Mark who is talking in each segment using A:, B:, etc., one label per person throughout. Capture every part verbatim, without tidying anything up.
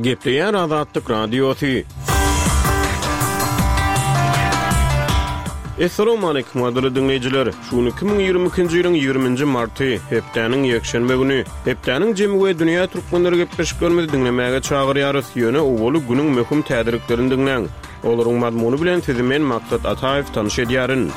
A: Gepleýär Azatlyk Radiosy. Essalamu aleýkum gadyrly diňleýjiler. Şu gün iki müň ýigrimi ikinji ýylyň ýigriminji marty, hepdäniň ýekşenbe güni. Hepdäniň jemi we dünýä türkmenleri gepleşiklerimizi diňlemäge çagyrýarys. Ýöne owaly günüň möhüm täzeliklerini diňläň. Olaryň mazmuny bilen sizi men Maksat Ataýew tanyş edýärin.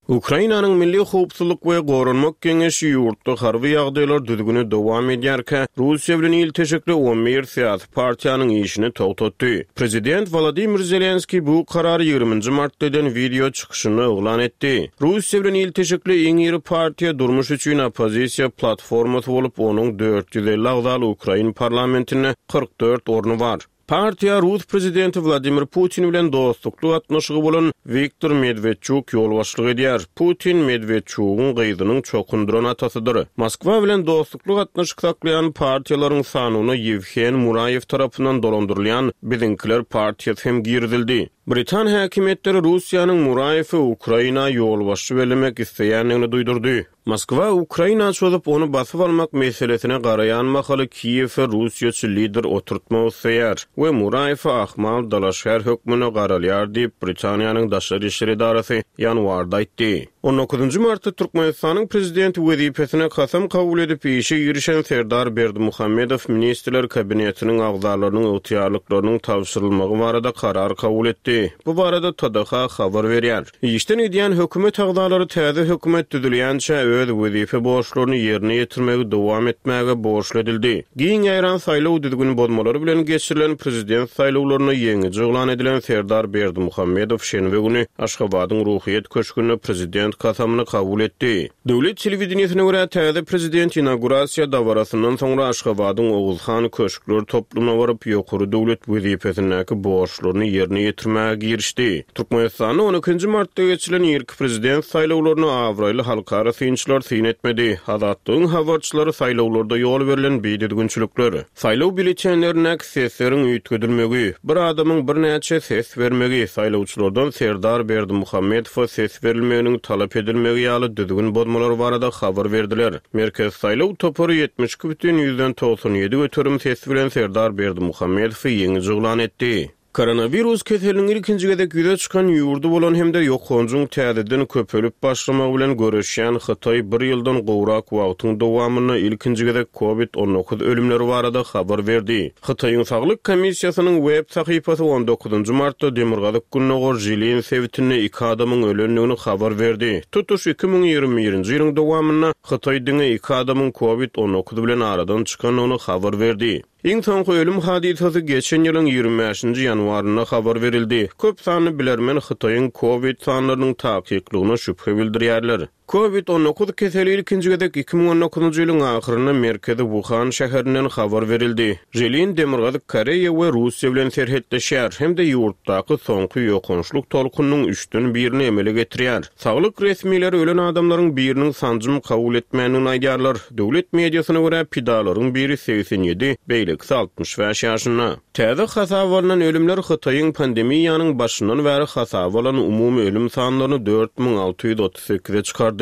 A: Ukrainanyň Milli Howpsuzlyk we Goranmak Geňeşi ýurtda harby ýagdaýlar düzgüni dowam edýärkä, Russiýa bilen ilteşikli on bir syýasy partiýanyň işini togtatdy. Prezident Wladimir Zelenskiý bu karary ýigriminji martda eden wideo çykyşynda yglan etdi. Russiýa bilen ilteşikli iň iri partiýa durmuş üçin oppozisiýa platformasy bolup, onuň dört ýüz elli agzaly Ukrain parlamentinde kyrk dört orny bar. Partiýa Rus prezidenti Wladimir Putin bilen dostlukly gatnaşygy bolan Wiktor Medvedchuk ýolbaşçylyk edýär. Putin Medvedchugyň gyzynyň çokundyran atasydyr. Moskwa bilen dostlukly gatnaşyk saklaýan partiýalaryň sanyna Ýewhen Muraýew tarapyndan dolandyrylýan Biziňkiler partiýasy hem girizildi. Britan häkimiýetleri Russiýanyň Muraýewi Ukraina ýolbaşçy bellemek isleýändigini duýdurdy. Moskwa Ukraina çozup ony basyp almak meselesine garaýan mahaly Kiýewe Russiýaçy lider oturtmak isleýär we Muraýewe ahmal dalaşgär hökmünde garalýar diýip Britaniýanyň Daşary işler edarasy ýanwarda aýtdy. On dokuzynjy martda Türkmenistanyň prezidenti wezipesine kasam kabul edip işe girişen Serdar Berdimuhamedow ministrler kabinetiniň agzalarynyň ygtyýarlyklarynyň tabşyrylmagy barada karar kabul etdi. Bu barada T D H habar berýär. Işden gidýän hökümet agzalary täze hökümet düzülýänçä öz wezipe borçlaryny ýerine ýetirmegi dowam etmäge borçly edildi. Giň ýaýran saýlaw düzgün bozmalary bilen geçirilen prezident saýlawlaryna ýeňiji yglan edilen Serdar Berdimuhamedow şenbe güni Aşgabadyň Ruhyýet köşgünde prezident kasamyny kabul etdi. Döwlet telewideniýesine görä täze prezident inaugurasiýa dabarasyndan soňra Aşgabadyň Oguzhan köşkler toplumyna baryp ýokary döwlet wezipesindäki borçlaryny ýerine ýetirmäge girişdi. Türkmenistanda on ikinji martda geçirilen irki prezident saýlawlaryna abraýly halkara synçylar syn etmedi. Azatlygyň habarçylary saýlawlarda ýol berlen bidüzgünçilikler, saýlaw býulletenlerindäki sesleriň üýtgedilmegi, bir adamyň birnäçe ses bermegi, saýlawçylardan Serdar Berdimuhamedowa ses berilmeginiň talap edilmegi ýaly düzgün bozmalar barada habar berdiler. Merkez saýlaw topary ýetmiş iki bütin ýüzden togsan ýedi göterim ses bilen Serdar Berdimuhamedowy ýeňiji yglan etdi. Koronawirus keseliniň ilkinji gezek ýüze çykan ýurdy bolan hem-de ýokanjyň täzeden köpelip başlamagy bilen göreşýän Hytaý bir ýyldan gowrak wagtyň dowamynda ilkinji gezek COVID on dokuz ölümleri barada habar berdi. Hytaýyň Saglyk komissiýasynyň web sahypasy on dokuzynjy martda Demirgazyk Gündogar Jilin sebitinde iki adamyň ölendigini habar berdi. Tutuş iki müň ýigrimi birinji ýylyň dowamynda Hytaý diňe iki adamyň COVID on dokuz bilen aradan çykandygyny habar berdi. Iň soňky ölüm hadysasy geçen ýylyň ýigrimi bäşinji ýanwarynda habar berildi. Köp sanly bilermen Hytaýyň COVID sanlarynyň takyklygyna şübhe bildirýärler. COVID on dokuz keseli ilkinji gezek iki müň on dokuzynjy ýylyň ahyrynda merkezi Wuhan şäherinden habar berildi. Jilin Demirgazyk Koreýa we Russiýa bilen serhetleşýär hem-de ýurtdaky soňky ýokançlyk tolkunyň üçden birini emele getirýär. Saglyk resmileri ölen adamlaryň biriniň sanjym kabul etmändigini aýdýarlar. Döwlet mediasyna görä pidalaryň biri segsen ýedi, beýlekisi altmyş bäş ýaşynda. Täze hasaba alynan ölümler Hytaýyň pandemiýanyň başyndan bäri hasaba alan umumy ölüm sanlaryny dört müň alty ýüz otuz sekize çykardy.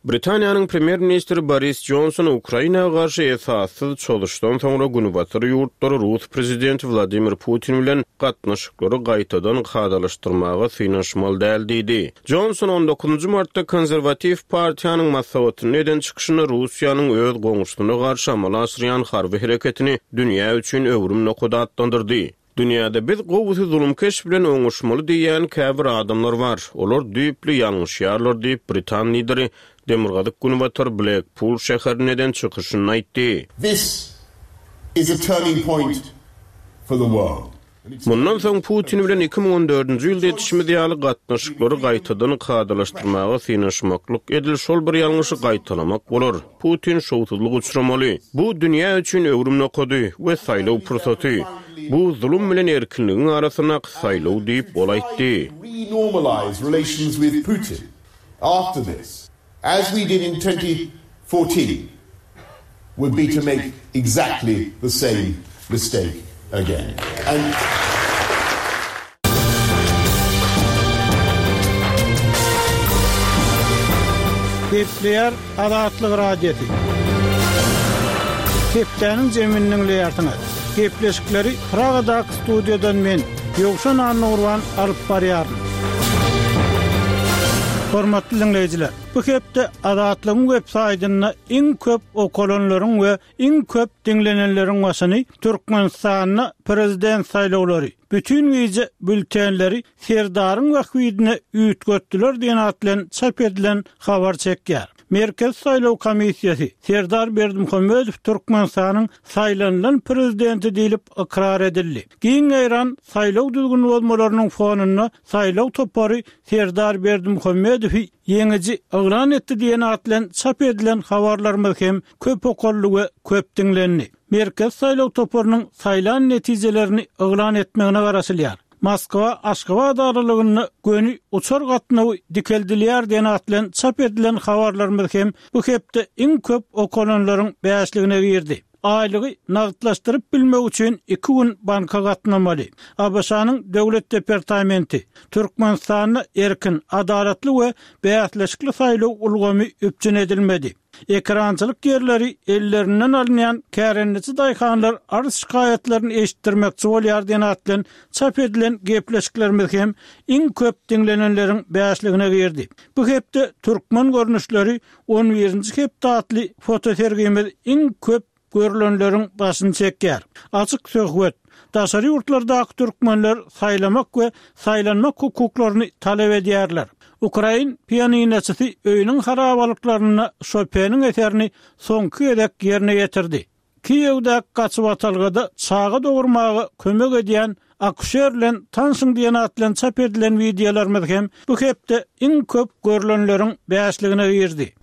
A: Britaniýanyň premýer-ministri Boris Johnson Ukraina garşy esassyz çozuşdan soňra Günbatar ýurtlary Rus prezidenti Wladimir Putin bilen gatnaşyklary gaýtadan kadalaşdyrmaga synanyşmaly däl diýdi. Johnson on dokuzynjy martda konserwatiw partiýanyň maslahatynda eden çykyşynda Russiýanyň öz goňşusyna garşy amala aşyrýan harby hereketini dünýä üçin öwrüm nokady atlandyrdy. Dünýäde biz gowusy zulumkeş bilen oňuşmaly diýen käbir adamlar bar. Olar düýpli ýalňyşýarlar diýip Britan lideri Demirgazyk Günbatar Blackpool şäherinde eden çykyşynda aýtdy.
B: This is a turning point for the world.
A: Mundan soň Putin bilen iki müň on dördünji ýylda etişimiz ýaly gatnaşyklary gaýtadan kadalaşdyrmaga synanyşmaklyk edil şol bir ýalňyşy gaýtalamak bolar. Putin şowsuzlyk uçramaly. Bu dünýä üçin öwrüm nokady we saýlaw pursaty. Bu zulum bilen erkinligiň arasyndaky saýlaw diýip ol aýtdy.
B: Renormalize relations with Putin after this, as we did in twenty fourteen, would be to make exactly the same mistake again. And
C: Gepleýär Azatlyk Radiosy. Hepdäniň jemini diňleýärsiňiz. Gepleşikleri Pragadaky studiýadan men, Ýowşan Annagurban alyp barýaryn. Hormatly dinleýjiler, bu hepde Azatlygyň web saýtynda iň köp okalanlaryň we iň köp diňlenenleriň başyny Türkmenistanda prezident saýlawlary, bütün gije bültenleri Serdaryň wahwidine üýtgetdiler diýen at bilen çap edilen habar çekýär. Merkez Saýlaw Komissiýasy Serdar Berdimuhamedow Türkmenistanyň saýlanylan prezidenti diýlip ykrar edildi. Giň ýaýran saýlaw düzgün bozmalarynyň fonunda saýlaw topary Serdar Berdimuhamedowy ýeňiji yglan etdi diýen at bilen çap edilen habarlarymyz hem köp okaldy we köp diňlendi. Merkez Saýlaw toparynyň saýlan netijelerini yglan etmegine garaşylýar. Moskwa Aşgabat aralygynda göni uçar gatnawy dikeldilýär diýen at bilen çap edilen habarlarymyz hem bu hepde iň köp okalanlaryň bäşligine girdi. Aýlygy nagtlaşdyryp bilmek üçin iki gün banka gatnamaly. ABŞ-nyň Döwlet departamenti Türkmenistanda erkin, adalatly we bäsleşikli saýlaw ulgamy üpjün edilmedi. Ekrançylyk ýerleri ellerinden alynýan kärendeçi daýhanlar arz şikaýatlaryny eşitdirmekçi bolýar diýen at bilen çap edilen gepleşiklerimiz hem iň köp diňlenenleriň bäşligine girdi. Bu hepde türkmen görnüşleri on birinji hepde atly fotosergimiz iň köp görülenleriň başyny çekýär. Açyk söhbet. Daşary ýurtlardaky türkmenler saýlamak we saýlanmak hukuklaryny talap edýärler. Ukrain pianinoçysy öýüniň harabalyklarynda Chopiniň eserini soňky gezek ýerine ýetirdi. Kiýewde gaçybatalgada çaga dogurmaga kömek edýän akuşer bilen tanşyň diýen at bilen çap edilen wideolarymyz hem bu hepde iň köp görülenleriň bäşligine girdi.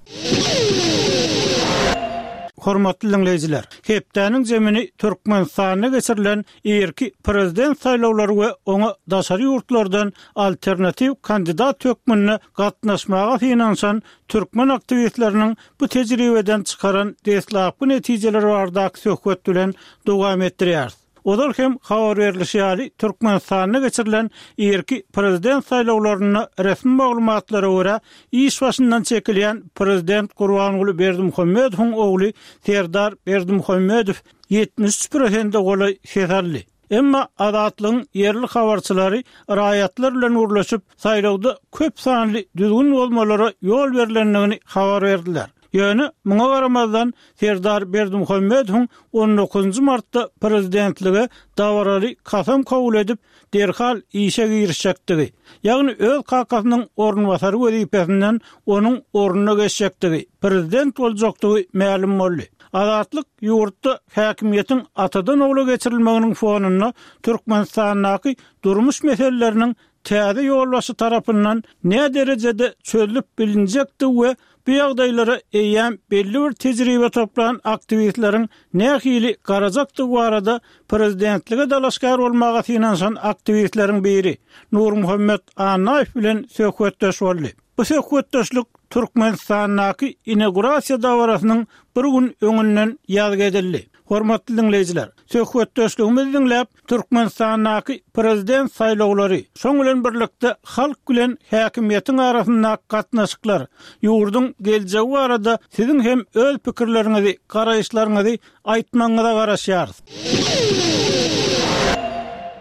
C: Hormatly dinleýjiler, hepdäniň jemini Türkmenistanda geçirilen irki prezident saýlawlary we oňa daşary ýurtlardan alternatiw kandidat hökmünde gatnaşmaga synanyşan türkmen aktiwistleriniň bu tejribeden çykaran deslapky netijeleri baradaky söhbet bilen dowam etdirýäris. Ozal hem habar berilişi ýaly Türkmenistanda geçirilen irki prezident saýlawlarynda resmi maglumatlara görä iş başyndan çekilýän prezident Gurbanguly Berdimuhamedowyň ogly Serdar Berdimuhamedow ýetmiş üç prosente golaý ses aldy. Emma Azatlygyň ýerli habarçylary raýatlar bilen gürleşip, saýlawda köp sanly düzgün bozmalara ýol berilendigini habar berdiler. Ýöne muňa garamazdan Serdar Berdimuhamedowyň on dokuzynjy martda prezidentlige dabaraly kasam kabul edip, derhal işe girişjekdigi, ýagny öz kakasynyň orunbasary wezipesinden onuň ornuna geçjekdigi, prezident boljakdygy mälim boldy. Azatlyk ýurtda häkimiýetiň atadan ogla geçirilmeginiň fonunda Türkmenistandaky durmuş meseleleriniň täze ýolbaşçy tarapyndan ne derejede çözülip bilinjekdi we bu ýagdaýlara eýýäm belli bir tejribe toplan aktiwistleriň nähili garajakdygy barada prezidentlige dalaşgär bolmaga synanyşan aktiwistleriň biri Nurmuhammet Annaýew bilen söhbetdeş boldy. Bu söhbetdeşlik Türkmenistandaky inaugurasiýa dabarasynyň bir gün öňünden ýazgy edildi. Hormatly dinleýjiler, söhbetdeşligimizi diňläp, Türkmenistandaky prezident saýlawlary, şoň bilen birlikde halk bilen häkimiýetiň arasyndaky gatnaşyklar, ýurduň geljegi barada siziň hem öz pikirleriňizi, garaýyşlaryňyzy aýtmagyňyza garaşýarys.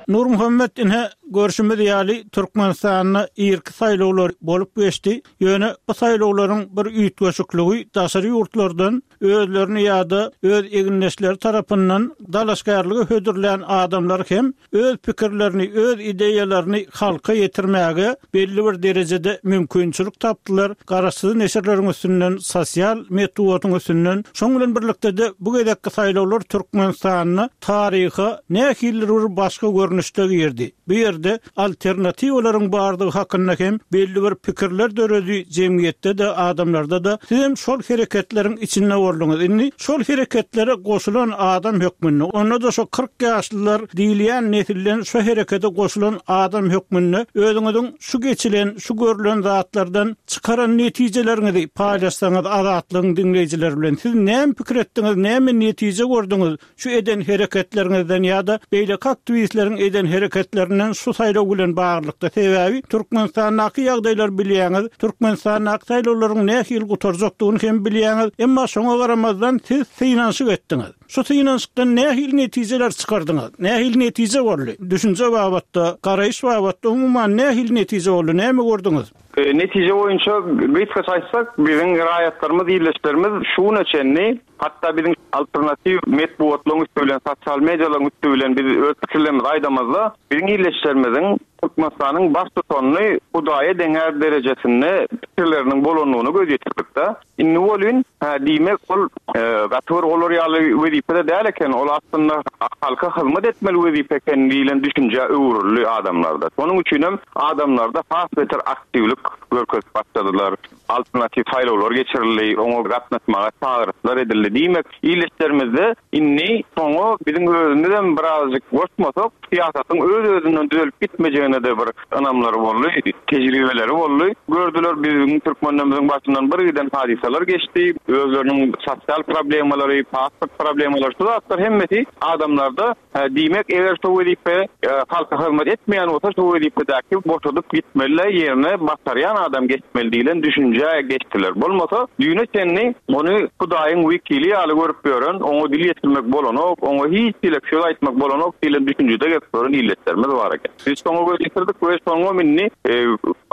C: Nurmuhammet ine görşümiz ýaly Türkmenistanda irki saýlawlar bolup geçdi. Ýöne bu saýlawlaryň bir üýtgeşikligi daşary ýurtlardan özlerini ýa-da öz egindeşleri tarapyndan dalaşgärlige hödürlän adamlar hem öz pikirlerini, öz ideýalaryny halka ýetirmäge belli bir derejede mümkinçilik tapdylar. Garaşsyz neşirleriň üstünden, sosial metbugatyň üstünden, şoň bilen birlikde de bu gezekki saýlawlar Türkmenistanda taryha nähili bir başga görnüşde girdi. Bu ýerde alternatiwalaryň bardygy hakynda hem belli bir pikirler döredi jemgyýetde de adamlarda da. Siz hem şol hereketleriň içinde bolduňyz. Indi şol hereketlere goşulan adam hökmünde, onda da şo kyrk ýaşlylar diýilýän nesilden şo herekete goşulan adam hökmünde özüňiziň şu geçilen, şu görülen zatlardan çykaran netijeleriňizi paýlaşsaňyz Azatlygyň dinleýjileri bilen. Siz näme pikir etdiňiz, näme netije gördüňiz şu eden hereketleriňizden ýa-da beýleki aktiwistleriň eden hereketlerinden şu Şu saýlaw bilen baglylykda sebäbi Türkmenistandaky ýagdaýlar bilýäňiz, Türkmenistandaky saýlawlaryň nähili gutarjakdygyny hem bilýäňiz, emma şoňa garamazdan siz synanyşyk etdiňiz. Şu synanyşykdan nähili netijeler çykardyňyz? Nähili netije boldy? Düşünje babatda, garaýyş babatda umuman nähili netije boldy? Näme gördüňiz?
D: E, netije boýunça gysgaça aýtsak, biziň raýatlarymyz, ildeşlerimiz şuna çenli, hatda biziň alternatiw metbugatlaryň üsti bilen, sosial medialaryň üsti bilen biz öz pikirlerimizi aýdamazda, biziň ildeşlerimiziň Türkmenistanyň baştutanyny Hudaýa deňär derejesinde pikirleriniň bolandygyny göz ýetirdik-de. Indi bolun, ha, diýmek ol, e, gaty bir olar ýaly wezipede däl eken, ol aslynda halka hyzmat etmeli wezipe eken diýlen düşünje öwrüldi adamlarda. Şonuň üçin hem adamlarda has beter aktiwlik görkezip başladylar. Alternatiw saýlawlar geçirildi, oňa gatnaşmaga çagyryşlar edildi. Diýmek, ildeşlerimizde indi soňa biziň özümiz hem birazjyk goşmasak, syýasatyň öz-özünden düzelip gitmejegine de bir ynamlary boldy, tejribeleri boldy. Gördüler biziň türkmenlerimizin başyndan bir giden hadysalar geçdi. Özleriniň sosial problemalary, pasport problemalary, şu zatlar hemmesi adamlarda, ha, diýmek, eger şu wezipe, e, halka hyzmat etmeýän bolsa, şu wezipedäki boşadyp gitmeli, ýerine basarýan adam geçmeli diýlen düşünje geçdiler. Bolmasa, düýne çenli ony Hudaýyň wekili ýaly görüp ýören, oňa dil ýetirmek bolanok, oňa hiç hili söz aýtmak bolanok diýlen düşünjede gelip ýören illetlerimiz bar eken. Biz şoňa göz ýetirdik we şoňa minni, e,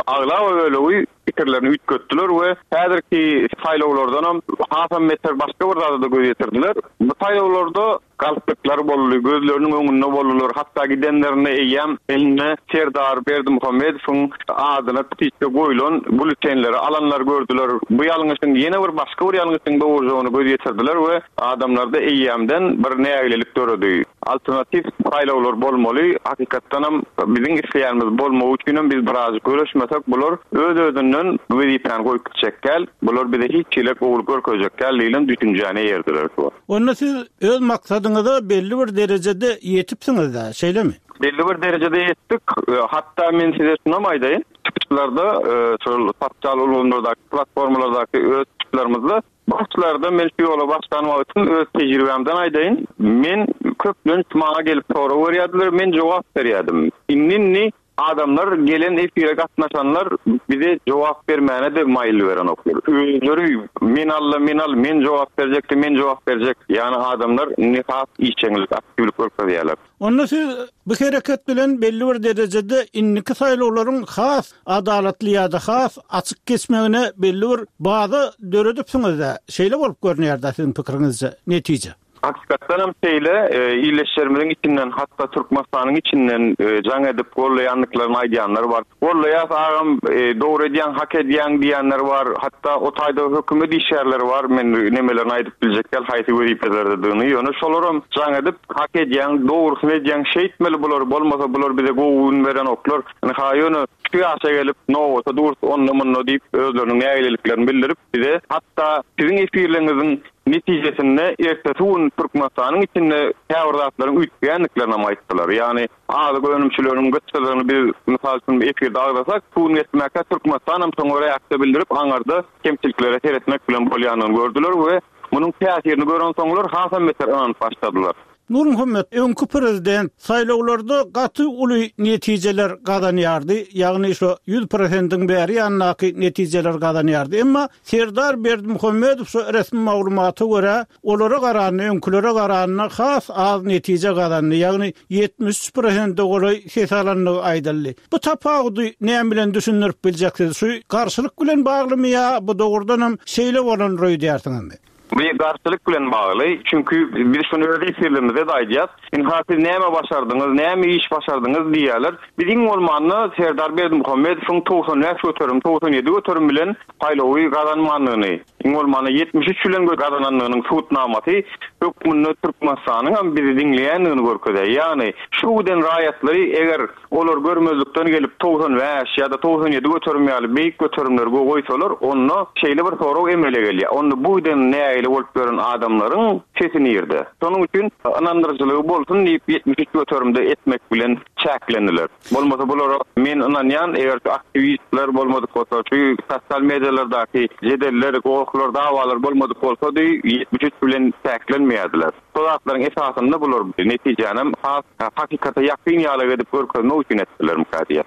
D: aglaba bölegi pikirlerini üýtgetdiler we häzirki saýlawlardan hem hasam beter başga bir zada da göz ýetirdiler. Bu saýlawlarda galplyklar boldy, gözleriniň öňünde boldular. Hatda gidenlerine eýýäm eline Serdar Berdimuhamedowyň adyna pitişe goýlan bültenleri alanlar gördüler. Bu ýalňyşyň ýene bir başga bir ýalňyşyň dogrujagyny göz ýetirdiler we adamlarda eýýämden bir nägilelik döredi. Alternatiw saýlawlar bolmaly. Hakykatdan hem biziň isleýänimiz bolmagy üçin hem biz biraz görüşmesek bular öz-özünden wezipäni goýup gitjek gel. Bular bize hiç hili gowulyk görkezjek gel diýlen düşünjäni ýerdiler şu.
C: Onda siz öz maksadyňyza belli bir derejede ýetipsiňiz da, şeýlemi?
D: Belli bir derejede ýetdik. E, hatda men size şunu aýdaýyn. Çykyşlarda, e, şol sosial ulgamlardaky, platformalardaky öz çykyşlarymyzda başlarda men şu ýola başlan wagtym öz tejribämden aýdaýyn. Men köplenç maňa gelip sorag berýärdiler, men jogap berýärdim. Indi adamlar gelen efire gatnaşanlar bize jogap bermäne de maýyl beren oklar. Özleri men alla, men al, men jogap berjekdi, men jogap berjek. Ýani adamlar nihas işjeňlik, aktiwlik görkezýärler.
C: Onda siz bu hereket bilen belli bir derejede indiki saýlawlaryň has adalatly ýa-da has açyk geçmegine belli bir baza döredipsiňiz-de. Şeýle bolup görünýär-de siziň pikiriňizce netije.
D: Hakykatdan hem şeýle, e, ildeşlerimiziň içinden, hatda Türkmenistanyň içinden, e, jaň edip gollaýandyklaryny aýdýanlar bar. Gollaýas agam, e, dogry edýän, hak edýän diýenler bar. Hatda o taýda hökümet işgärleri bar. Men nemelerini aýdyp biljek däl, haýsy wezipelerdedigini. Ýöne şolaram jaň edip hak edýän, dogrusyny edýän, şeýtmeli bular, bolmasa bular bize gowy gün beren oklar. Ha ýöne şu ýaşa gelip nowata dur, onda munda diýip özleriniň nägileliklerini bildirip bize, hatda siziň efirleriňiziň netijesinde ertesi gün Türkmenistanyň içinde käbir zatlaryň üýtgänliklerini aýtdylar. Ýani azyk önümçileriniň gytçylygyny biz mysal üçin efirde agzasak, bu gün geçmekde Türkmenistan hem soňra reaksiýa bildirip aňarda kemçiliklere seretmek bilen bolýanyny gördüler we munuň täsirini gören soňlar hasam beter ynanyp başladylar.
C: Nurmuhammet, öňki prezident saýlawlarda gaty uly netijeler gazanýardy, ýagny şu ýüz prosentiň bäri ýanyndaky netijeler gazanýardy. Emma Serdar Berdimuhamedow şu resmi maglumata görä, olara garanda, öňkülere garanda has az netije gazandy, ýagny ýetmiş üç prosente golaý ses alandygy aýdyldy. Bu tapawudy näme bilen düşündirip biljeksiz? Şu garşylyk bilen baglymy ýa bu dogrudan hem şeýle bolan roýdýarsyňyzmy?
D: Bu garşylyk bilen bagly, çünki biz şunu öz efirlerimizde de aýdýas. Inha siz näme başardyňyz, näme iş başardyňyz diýýärler. Biz iň bolmanda Serdar Berdimuhamedowyň togsan bäş göterim, togsan ýedi göterim bilen saýlawy gazanmandygyny, iň bolmanda ýetmiş üç bilen gazanandygynyň subutnamasy hökmünde Türkmenistanyň hem bizi diňleýändigini görkezýär. Ýagny şu giden raýatlary eger olar görmezlikden gelip togsan bäş ýa-da togsan ýedi göterim ýaly beýik göterimleri goýsalar, onda şeýle bir sorag emele gelýär. Onda bu giden nägilelik Nägile bolup ýören adamlaryň sesi nirde? Şonuň üçin ynandyryjylygy bolsun diýip ýetmiş üç göterimde etmek bilen çäklendiler. Bolmasa bulara men ynanýan, eger şu aktiwistler bolmadyk bolsa, şu sosial medialardaky jedeller, gohlar, dawalar bolmadyk bolsady, ýetmiş üç bilen çäklenmeýärdiler. Şo zatlaryň esasynda bular netijänem has hakykata ýakyn ýaly edip görkezmek üçin etdiler mukadiýe.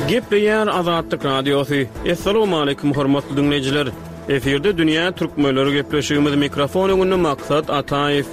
A: Gepleýär Azatlyk Radiosy. Assalamualaikum hormatly dinleýjiler. Efirde Dünýä Türkmenleri gepleşigimiz mikrofon öňünde Maksat Ataýew.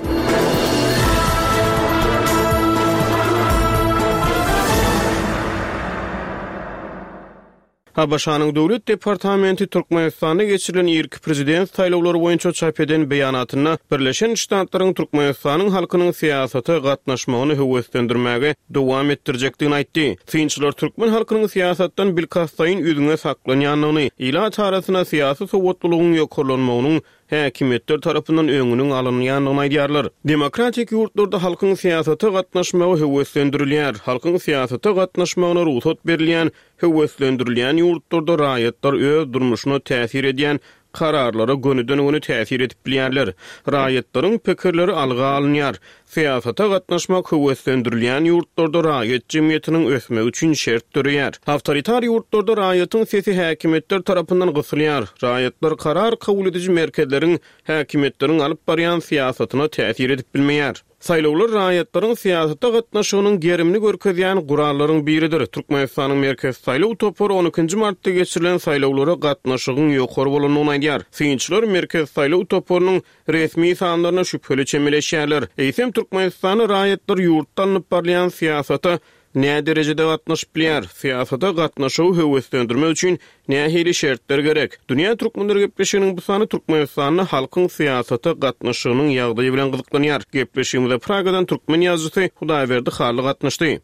A: ABŞ-nyň Döwlet departamenti Türkmenistanda geçirilen irki prezident saýlawlary boýunça çap eden beýanatynda Birleşen Ştatlaryň Türkmenistanyň halkynyň syýasata gatnaşmagyny höweslendirmäge dowam etdirjekdigini aýtdy. Synçylar türkmen halkynyň syýasatdan bilkastlaýyn üzňe saklanýandygyny, ilat arasynda syýasy sowatlylygyň ýokarlanmagynyň häkimiýetler tarapyndan öňüniň alynýandygyny aýdýarlar. Demokratik ýurtlarda halkyň syýasata gatnaşmagy höweslendirilýär. Halkyň syýasata gatnaşmagyna rugsat berilýän, höweslendirilýän ýurtlarda raýatlar öz durmuşyna täsir edýän kararlara gönüden-göni täsir edip bilýärler. Raýatlaryň pikirleri alga alynýar. Syýasata gatnaşmak höweslendirilýän ýurtlarda raýat jemgyýetiniň ösmegi üçin şert döreýär. Awtoritar ýurtlarda raýatyň sesi häkimiýetler tarapyndan gysylýar. Raýatlar karar kabul ediji merkezleriň häkimiýetleriň alyp barýan syýasatyna täsir edip bilmeýär. Saýlawlar raýatlaryň syýasata gatnaşygynyň gerimini görkezýän gurallaryň biridir. Türkmenistanyň Merkezi saýlaw topary on ikinji martda geçirilen saýlawlara gatnaşygyň ýokary bolandygyny aýdýar. Synçylar Merkezi saýlaw toparynyň resmi sanlaryna şübheli çemeleşýärler. Eýsem Türkmenistanyň raýatlar ýurtda alnyp barylýan syýasata nä derejede gatnaşyp bilýär? Syýasata gatnaşygy höweslendirmek üçin nähili şertler gerek? Dünýä Türkmenleri gepleşiginiň bu sany Türkmenistanda halkyň syýasata gatnaşygynyň ýagdaýy bilen gyzyklanýar. Gepleşigimize Pragadan türkmen ýazyjysy Hudaýberdi Hally gatnaşdy.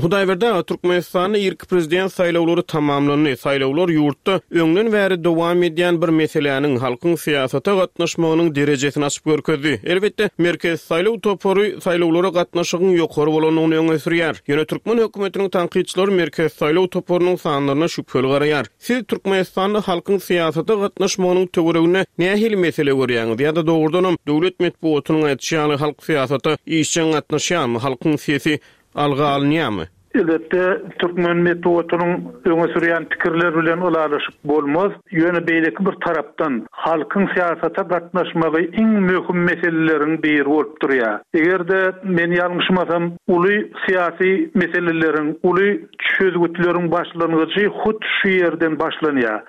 A: Hudaýberdi aga, Türkmenistanda irki prezident saýlawlary tamamlandy. Saýlawlar ýurtda öňden bäri dowam edýän bir meseläniň halkyň syýasata gatnaşmagynyň derejesini açyp görkezdi. Elbetde, Merkezi saýlaw topary saýlawlara gatnaşygyň ýokary bolandygyny öňe sürýär. Ýöne türkmen hökümetiniň tankytçylary Merkezi saýlaw toparynyň sanlaryna şübheli garaýar. Siz Türkmenistanda halkyň syýasata gatnaşmagynyň töwereginde nähili mesele görýäňiz ýa-da dogrudanam döwlet metbugatynyň aýtýany ýaly halk syýasata işjeň gatnaşýarmy, halkyň sesi alga alynýarmy?
E: Elbetde, türkmen metbugatynyň öňe sürýän pikirler bilen ylalaşyp bolmaz. Ýöne beýleki bir tarapdan halkyň syýasata gatnaşmagy iň möhüm meseleleriň biri bolup durýar. Eger-de men ýalňyşmasam, uly syýasy meseleleriň, uly çözgütleriň başlangyjy hut şu ýerden başlanýar.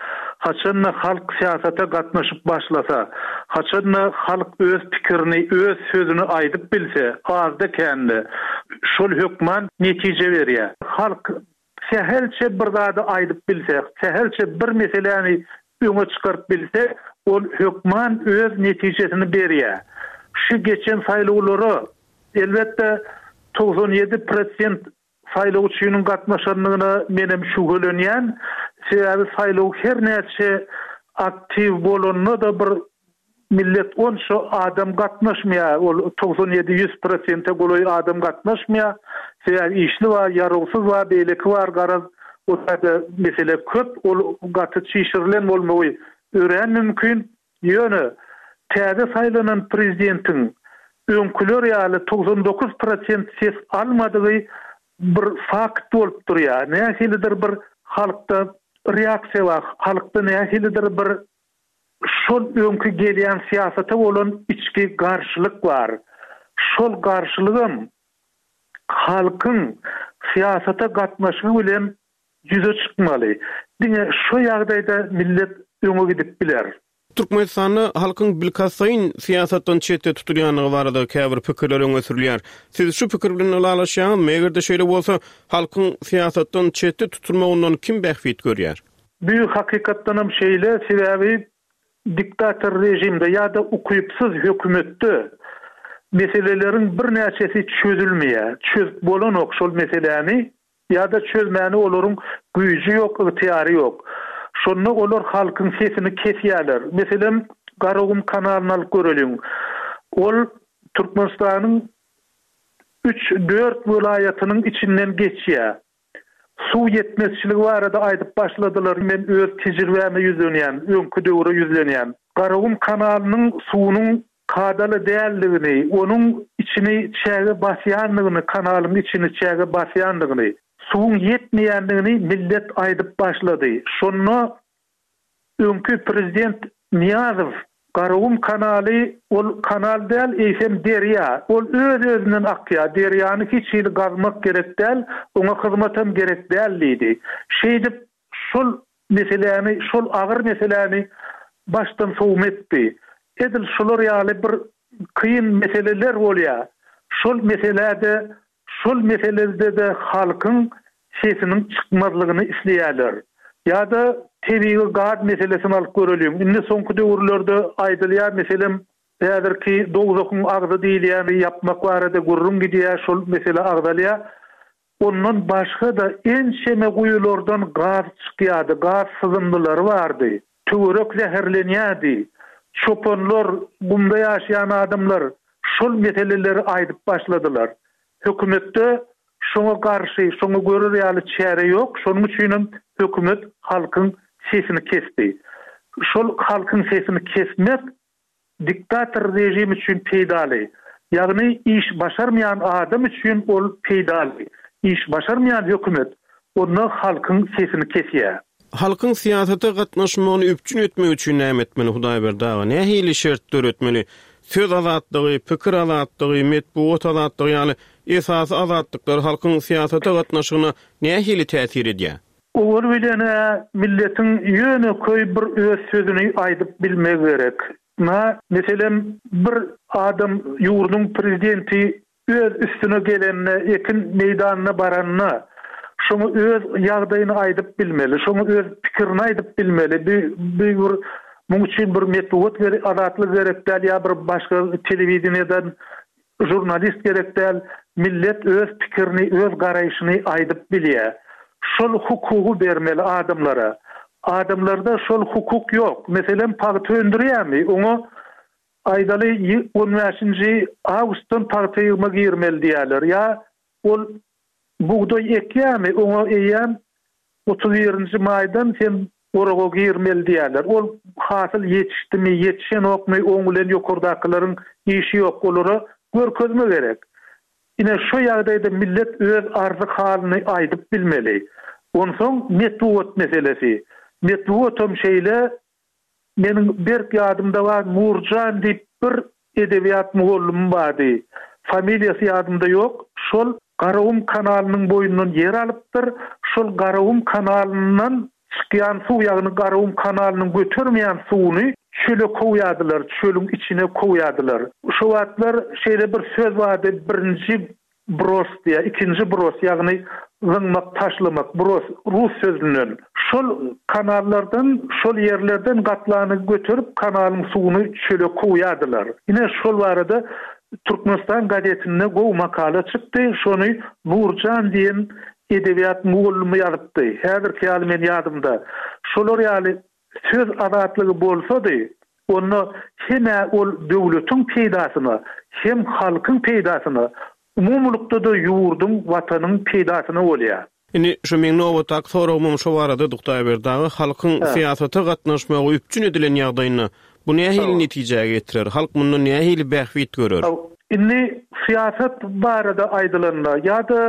E: Haçanda halk syýasata gatnaşyp başlasa, haçanda halk öz pikirini, öz sözüni aýdyp bilse, azda kände şol hökman netije berýär. Halk sähelçe bir zady aýdyp bilse, sähelçe bir meseläni öňe çykaryp bilse, ol hökman öz netijesini berýär. Şu geçen saýlawlara elbetde togsan ýedi prosent saýlawçynyň gatnaşandygyna menem şübhelenýän. Sebäbi saýlaw her näçe aktiw bolanda da bir millet onça adam gatnaşmaýar. Ol togsan ýedi ýüz prosente golaý adam gatnaşmaýar. Sebäbi işli bar, ýarawsyz bar, beýleki bar, garaz o taýda mesele köp. Ol gaty çişirilen bolmagy örän mümkin. Ýöne täze saýlanan prezidentiň öňküler ýaly togsan dokuz prosent ses almadygy bir fakt bolup durýar. Nähilidir bir halkda reaksiýa bar, halkda nähilidir bir şol öňkü gelýän syýasata bolan içki garşylyk bar. Şol garşylygam halkyň syýasata gatnaşygy bilen ýüze çykmaly. Diňe şu ýagdaýda millet öňe gidip biler.
A: Türkmenistanda halkyň bilkastlaýyn syýasatdan çetde tutulýandygy barada käbir pikirler öňe sürülýär. Siz şu pikir bilen ylalaşýaňyzmy? Eger-de şeýle bolsa, halkyň syýasatdan çetde tutulmagyndan kim bähbit görýär?
E: Bu hakykatdanam şeýle, sebäbi diktator rejimde ýa-da ukypsyz hökümetde meseleleriň birnäçesi çözülmeýär. Çözüp bolanok şol meseläni ýa-da çözmäni olaryň güýji ýok, ygtyýary ýok. Şonda olar halkyň sesini kesýärler. Meselem, Garagum kanalyny alyp göreliň. Ol Türkmenistanyň Üç-dört welaýatynyň içinden geçýär. Suw ýetmezçiligi barada aýdyp başladylar. Men öz tejribäme ýüzlenýän, öňki döwre ýüzlenýän. Garagum kanalynyň suwunyň kadaly däldigini, onuň içini çäge basýandygyny, kanalyň içini çäge basýandygyny, suwuň ýetmeýändigini millet aýdyp başlady. Şonda öňki prezident Nyýazow Garagum kanaly ol kanal däl, eýsem derýa. Ol öz-özünden akýar. Derýany hiç hili gazmak gerek däl, oňa hyzmatam gerek däl diýdi. Şeýdip şol meseläni, şol agyr meseläni başdan sowma etdi. Edil şular ýaly bir kyn meseleler bolýar. Şol meselede şol meselede-de halkyň sesiniň çykmazlygyny isleýärler. Ýa-da tebigy gaz meselesini alyp göreliň. Indi soňky döwürlerde aýdylýar, meselem, häzirki dowzahyň agzy diýilýäni ýapmak barada gürrüň gidýär, şol mesele agzalýar. Ondan başga-da ençeme guýulardan gaz çykýardy, gaz syzymlylary bardy. Töwerek zäherlenýärdi. Çopanlar, gumda ýaşaýan adamlar şol meseleleri aýdyp başladylar. Hökümetde şoňa garşy, şoňa görer ýaly çäre ýok, şonuň üçinem hökümet halkyň sesini kesdi. Şol halkyň sesini kesmek diktator režim üçin peýdaly. Ýagny iş başarmaýan adam üçin ol peýdaly. Iş başarmaýan hökümet onda halkyň sesini kesýär.
A: Halkyň syýasata gatnaşmagyny üpjün etmek üçin näme etmeli Hudaýberdi aga? Nähili şert döretmeli? Söz azatlygy, pikir azatlygy, metbugat azatlygy ýaly esasy azatlyklar halkyň syýasata gatnaşygyna nähili täsir edýär?
E: Owal bilen milletiň ýöneköý bir öz sözüni aýdyp bilmegi gerek. Na, meselem, bir adam ýurduň prezidenti öz üstüne gelende, ekin meýdanyna baranda, şoňa öz ýagdaýyny aýdyp bilmeli, şoňa öz pikirini aýdyp bilmeli. Bir bir muň üçin bir metbugat gerek, azatlyk gerek däl ýa bir başga telewideniýeden žurnalist gerek däl. Millet öz pikirini, öz garaýşyny aýdyp bilýär. Şol hukugy bermeli adamlara. Adamlarda şol hukuk ýok. Meselem, pagta öndürýärmi? Oňa aýdaly on bäşinji awgustdan pagta ýygyma girmeli diýerler. Ýa ol bugdaý ekýärmi? Oňa eýýäm otuz birinji maýdan sen oraga girmeli diýerler. Ol hasyl ýetişdimi, ýetişenokmy, oň bilen ýokardakylaryň işi ýok. Olara görkezme gerek. Ine şu ýagdaýda millet öz arzy halyny aýdyp bilmeli. Onsoň metbugat meselesi. Metbugatam şeýle meniň berk ýadymda bar, Nurjan diýip bir edebiýat mugallymym bardy. Familiýasy ýadymda ýok. Şol Garagum kanalynyň boýundan ýer alypdyr. Şol Garagum kanalyndan çykýan suw, ýagny Garagum kanalynyň götermeýän suwuny çöle kowýardylar, çölüň içine kowýardylar. Şu wagtlar şeýle bir söz bardy, birinji bros diýä, ikinji bros, ýagny zyňmak, taşlamak, bros rus sözünden. Şol kanallardan, şol ýerlerden gatlany göterip kanalyň suwuny çöle kowýardylar. Ine şol barada Türkmenistan gazetinde gowy makala çykdy. Şony Nurjan diýen edebiýat mugallymy ýazypdy. Häzirki ýaly men ýadymda. Şolar ýaly söz azatlygy bolsady, onda hem-ä ol döwletiň peýdasyna, hem halkyň peýdasyna, umumylykda-da ýurduň, watanyň peýdasyna bolýar.
A: Indi şu meň nobatdaky soragym şu barada Hudaýberdi aga, halkyň syýasata gatnaşmagy üpjün edilen ýagdaýynda bu nähili netijä getirer? Halk mundan nähili bähbit görer?
E: Indi syýasat barada aýdylanda ýa-da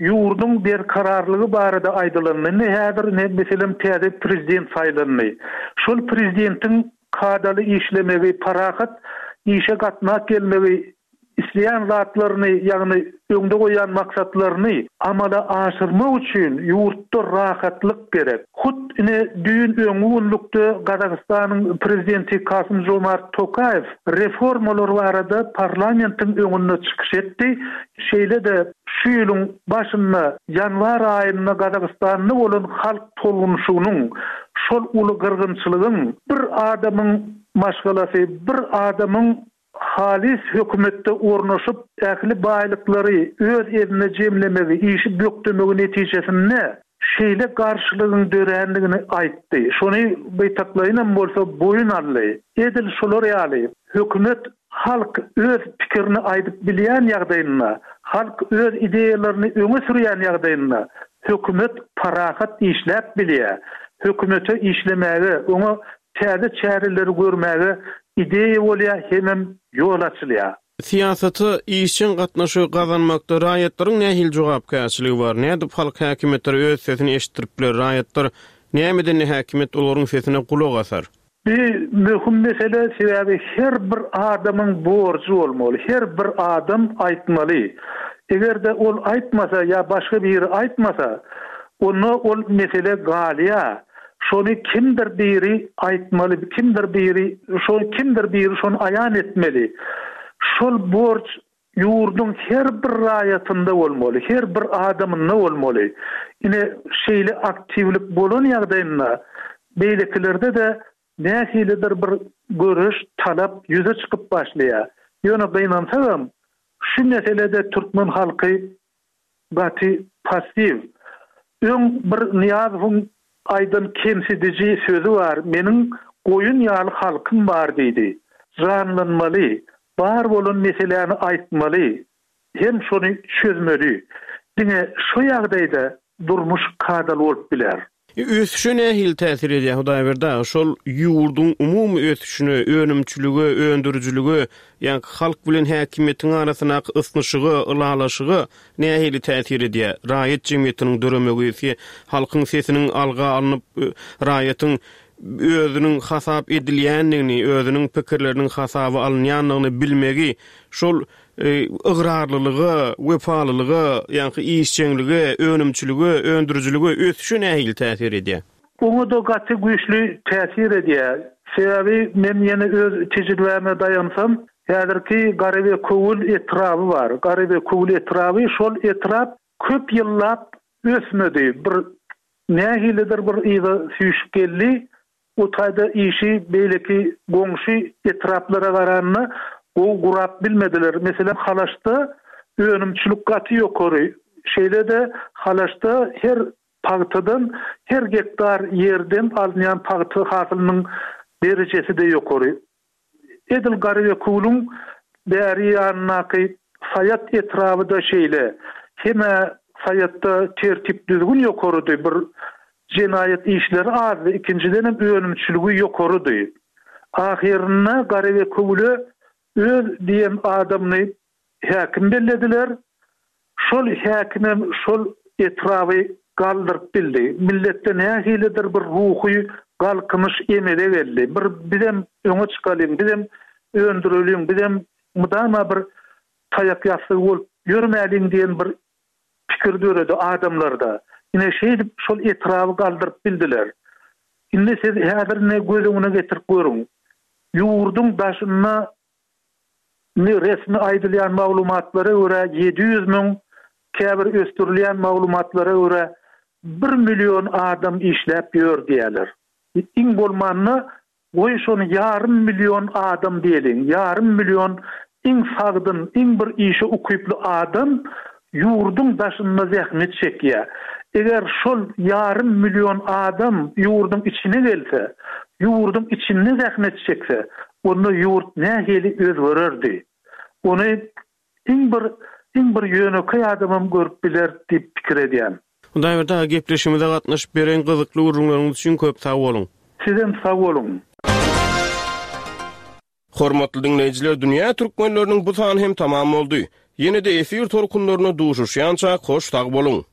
E: ýurduň berkararlygy barada aýdylanda, indi häzir ne meselem täze prezident saýlandy. Şol prezidentiň kadaly işlemegi, parahat işe gatnak gelmegi, isleýän zatlaryny, ýagny öňde goýan maksatlaryny amala aşyrmak üçin ýurtda rahatlyk gerek. Hut ine düýn öňňi günlükde Gazagystanyň prezidenti Kasym Jomart Tokaýew reformalar barada parlamentiň öňünde çykyş etdi. Şeýle-de şu ýylyň başynda ýanwar aýynda Gazagystanda bolan halk tolgunşygynyň, şol uly gyrgynçylygyň bir adamyň maşgalasy, bir adamyň halis hökümetde ornaşyp ähli baýlyklary öz eline jemlemegi, işi bökdemegi netijesinde şeýle garşylygyň dörändigini aýtdy. Şony beýtaklaýynam bolsa boýun aldy. Edil şolar ýaly hökümet halk öz pikirini aýdyp bilýän ýagdaýynda, Halk öz ideýalaryny öňe sürýän ýagdaýynda hökümet parahat işläp bilýär. Hökümete işlemäge, oňa täze çäreleri görmäge ideýa bolýar hemem ýol açylýar.
A: Syýasata işjeň gatnaşygy gazanmakda raýatlaryň nähili jogapkärçiligi bar? Nädip halk häkimiýetlere öz sesini eşitdirip biler? Raýatlar nämeden häkimiýet olaryň sesine gulak asar?
E: Bu möhüm mesele, sebäbi her bir adamyň borjy bolmaly, her bir adam aýtmaly. Eger-de ol aýtmasa ýa başga biri aýtmasa, onda ol mesele galýar. Şony kimdir biri aýtmaly, kimdir biri şo kimdir biri şony aýan etmeli. Şol borç ýurduň her bir raýatynda bolmaly, her bir adamynda bolmaly. Ine, şeýle aktiwlik bolan ýagdaýynda beýlekilerde-de nähilidir bir göreş, talap ýüze çykyp başlaýar. Ýöne gynansagam, şu meselede türkmen halky gaty passiw. Öň bir Nyýazowyň aýdan kemsidiji sözi bar, Meniň goýun ýaly halkym bar diýdi. Janlanmaly, bar bolan meseläni aýtmaly hem şony çözmeli. Diňe şo ýagdaýda durmuş kadaly bolup biler.
A: Ösüşe nähili täsir edýär Hudaýberdi aga? Şol ýurduň umumy ösüşine, önümçilige, öndürijilige, ýaňky halk bilen häkimiýetiň arasyndaky ysnyşyga, ylalaşyga nähili täsir edýär? Raýat jemgyýetiniň döremegi, halkyň sesiniň alga alnyp, raýatyň özüniň hasap edilýändigini, özüniň pikirleriniň hasaba alynýandygyny bilmegi, şol ygrarlylyga, wepalylyga, ýaňky işjeňlige, önümçilige, öndürijilige, ösüşe nähili täsir edýär?
E: Oňa-da gaty güýçli täsir edýär. Sebäbi men ýene öz tejribäme daýansam, häzirki Garabekewül etraby bar. Garabekewül etraby, şol etrap köp ýyllap ösmedi. Bir Nähilidir bir yza süýşüp geldi. O taýda işi beýleki goňşy etraplara garanda gowy gurap bilmediler. Meselem, Halaşda önümçilik gaty ýokary. Şeýle-de Halaşda her pagtadan, her gektar ýerden alynýan pagta hasylynyň derejesi-de ýokary. Edil Garabekewüliň bäri ýanyndaky Saýat etraby-da şeýle. Hem-ä Saýatda tertip-düzgün ýokarydy, bir jenaýat işleri azdy, ikinjidenem önümçiligi ýokarydy. Ahyrynda Garabekewüle öz diýen adamyny häkim bellediler. Şol häkimem şol etraby galdyryp bildi. Milletde nähilidir bir ruhy galkynyş emele geldi. Bir bizem öňe çykalyň, bizem öndüreliň, bizem mydama bir taýak ýassygy bolup ýörmäliň diýen bir pikir döredi adamlarda. Ine şeýdip şol etraby galdyryp bildiler. Indi siz häzir ine göz öňüne getirip görüň. Ýurduň daşynda indi resmi aýdylýan maglumatlara görä ýedi ýüz müň, käbir ösdürilýän maglumatlara görä bir million adam işläp ýör diýýärler. Iň bolmanda Goý, şony ýarym million adam diýeliň. Ýarym million iň sagdyn, iň bir işe ukyply adam ýurduň daşynda zähmet çekýär. Eger şol ýarym million adam ýurduň içine gelse, ýurduň içinde zähmet çekse, onda ýurt nähili özgererdi? Ony iň bir, iň bir ýönekeý adamam görüp biler diýip pikir edýän.
A: Hudaýberdi aga gepleşigimize gatnaşyp beren gyzykly gürrüňleriňiz üçin köp sag boluň.
E: Sizem sag boluň.
A: Hormatly diňleýjiler Dünýä Türkmenleriniň bu sany hem tamam boldy. Ýene-de efir tolkunlarynda duşuşýançak hoş sag boluň.